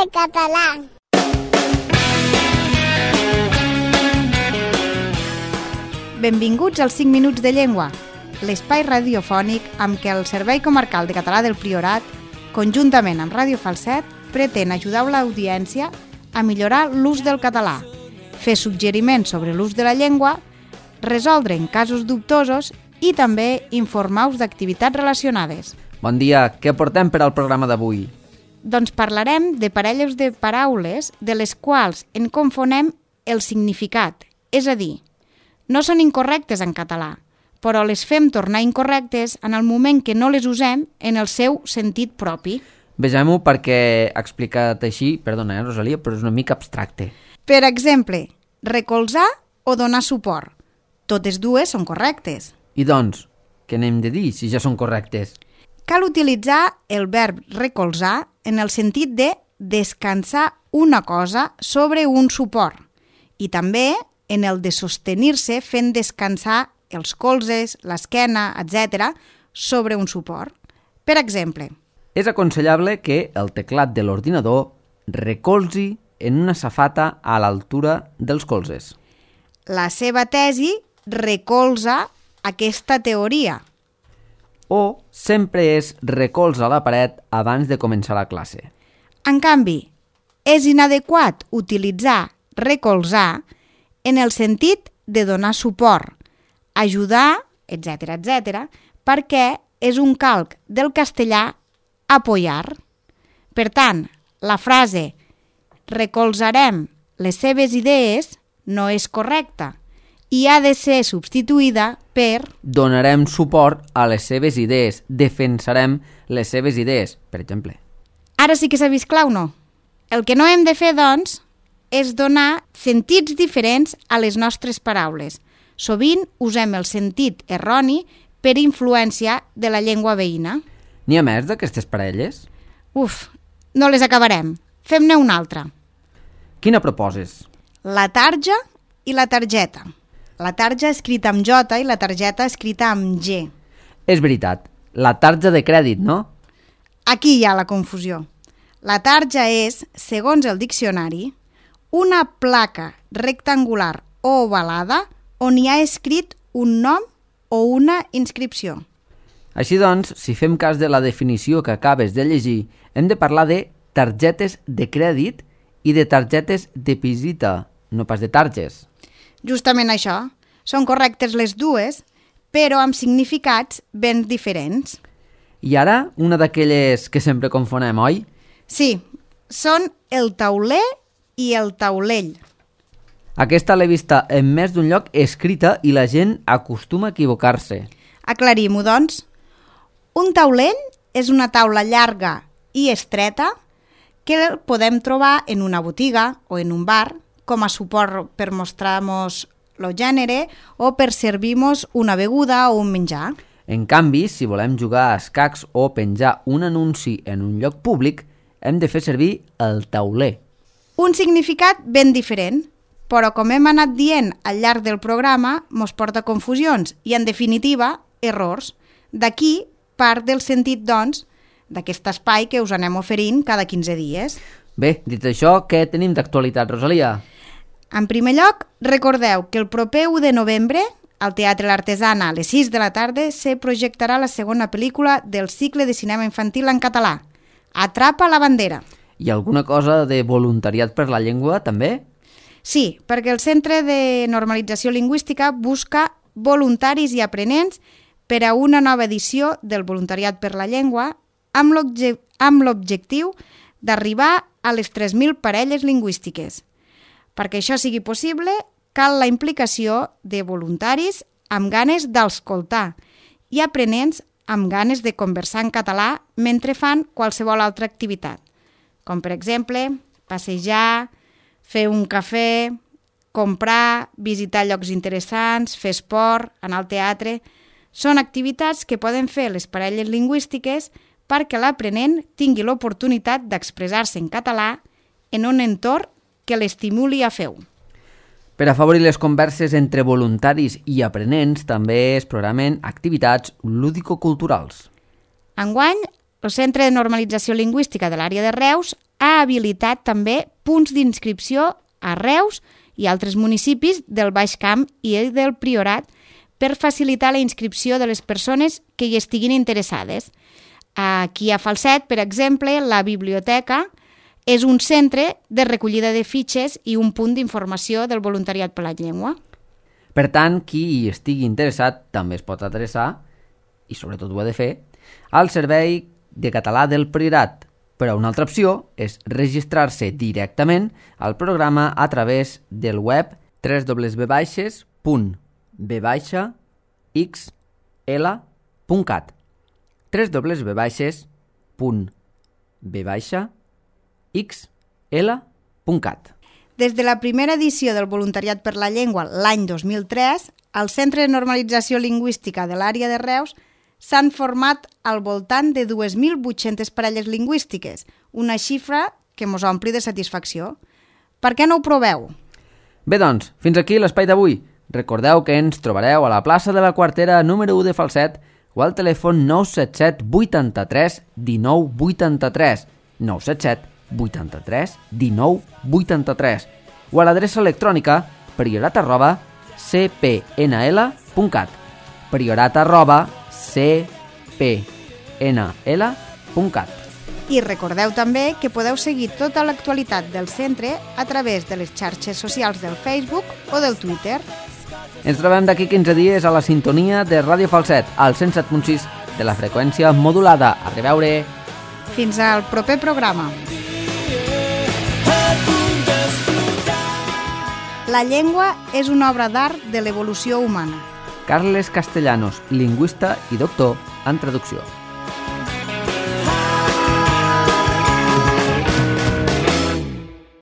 de català. Benvinguts als 5 minuts de llengua, l'espai radiofònic amb què el Servei Comarcal de Català del Priorat, conjuntament amb Ràdio Falset, pretén ajudar l'audiència a millorar l'ús del català, fer suggeriments sobre l'ús de la llengua, resoldre en casos dubtosos i també informar-vos d'activitats relacionades. Bon dia, què portem per al programa d'avui? Doncs parlarem de parelles de paraules de les quals en confonem el significat, és a dir, no són incorrectes en català, però les fem tornar incorrectes en el moment que no les usem en el seu sentit propi. Vegem-ho perquè explicat així, perdona, Rosalia, però és una mica abstracte. Per exemple, recolzar o donar suport. Totes dues són correctes. I doncs, què n'hem de dir si ja són correctes? Cal utilitzar el verb recolzar en el sentit de descansar una cosa sobre un suport i també en el de sostenir-se fent descansar els colzes, l'esquena, etc., sobre un suport. Per exemple, és aconsellable que el teclat de l'ordinador recolzi en una safata a l'altura dels colzes. La seva tesi recolza aquesta teoria. O sempre es recolza a la paret abans de començar la classe. En canvi, és inadequat utilitzar recolzar en el sentit de donar suport, ajudar, etc., perquè és un calc del castellà apoyar. Per tant, la frase recolzarem les seves idees no és correcta i ha de ser substituïda per donarem suport a les seves idees, defensarem les seves idees, per exemple. Ara sí que s'ha vist clar o no? El que no hem de fer, doncs, és donar sentits diferents a les nostres paraules. Sovint usem el sentit erroni per influència de la llengua veïna. N'hi ha més d'aquestes parelles? No les acabarem. Fem-ne una altra. Quina proposes? La tarja i la targeta. La tarja escrita amb J i la targeta escrita amb G. És veritat, la tarja de crèdit, no? Aquí hi ha la confusió. La tarja és, segons el diccionari, una placa rectangular o ovalada on hi ha escrit un nom o una inscripció. Així doncs, si fem cas de la definició que acabes de llegir, hem de parlar de targetes de crèdit i de targetes de visita, no pas de targes. Justament això. Són correctes les dues, però amb significats ben diferents. I ara, una d'aquelles que sempre confonem, oi? Sí, són el tauler i el taulell. Aquesta l'he vista en més d'un lloc escrita i la gent acostuma a equivocar-se. Aclarim-ho, doncs. Un taulell és una taula llarga i estreta que podem trobar en una botiga o en un bar com a suport per mostrar-nos el gènere o per servir-nos una beguda o un menjar. En canvi, si volem jugar a escacs o penjar un anunci en un lloc públic, hem de fer servir el tauler. Un significat ben diferent, però com hem anat dient al llarg del programa, mos porta a confusions i, en definitiva, errors. D'aquí part del sentit, doncs, d'aquest espai que us anem oferint cada 15 dies. Bé, dit això, què tenim d'actualitat, Rosalia? En primer lloc, recordeu que el proper 1 de novembre, al Teatre L'Artesana, a les 6 de la tarda, se projectarà la segona pel·lícula del cicle de cinema infantil en català, Atrapa la bandera. I alguna cosa de voluntariat per la llengua, també? Sí, perquè el Centre de Normalització Lingüística busca voluntaris i aprenents per a una nova edició del Voluntariat per la Llengua amb l'objectiu d'arribar a les 3.000 parelles lingüístiques. Perquè això sigui possible, cal la implicació de voluntaris amb ganes d'escoltar i aprenents amb ganes de conversar en català mentre fan qualsevol altra activitat, com per exemple passejar, fer un cafè, comprar, visitar llocs interessants, fer esport, anar al teatre. Són activitats que poden fer les parelles lingüístiques perquè l'aprenent tingui l'oportunitat d'expressar-se en català en un entorn que l'estimuli a fer-ho. Per afavorir les converses entre voluntaris i aprenents també es programen activitats lúdico-culturals. Enguany, el Centre de Normalització Lingüística de l'àrea de Reus ha habilitat també punts d'inscripció a Reus i altres municipis del Baix Camp i del Priorat per facilitar la inscripció de les persones que hi estiguin interessades. Aquí a Falset, per exemple, la biblioteca és un centre de recollida de fitxes i un punt d'informació del voluntariat per la llengua. Per tant, qui hi estigui interessat també es pot adreçar, i sobretot ho ha de fer, al Servei de Català del Priorat. Però una altra opció és registrar-se directament al programa a través del web www.b-xl.cat www.b-xl.cat. Des de la primera edició del Voluntariat per la Llengua l'any 2003, al Centre de Normalització Lingüística de l'àrea de Reus s'han format al voltant de 2.800 parelles lingüístiques, una xifra que mos ompli de satisfacció. Per què no ho proveu? Bé, doncs, fins aquí l'espai d'avui. Recordeu que ens trobareu a la plaça de la Quartera número 1 de Falset o al telèfon 977 83 19 83, 977 83 19 83, o a l'adreça electrònica priorat@cpnl.cat, priorat@cpnl.cat. I recordeu també que podeu seguir tota l'actualitat del centre a través de les xarxes socials del Facebook o del Twitter. Ens trobem d'aquí 15 dies a la sintonia de Ràdio Falset, al 107.6 de la freqüència modulada. A reveure! Fins al proper programa. La llengua és una obra d'art de l'evolució humana. Carles Castellanos, lingüista i doctor en traducció.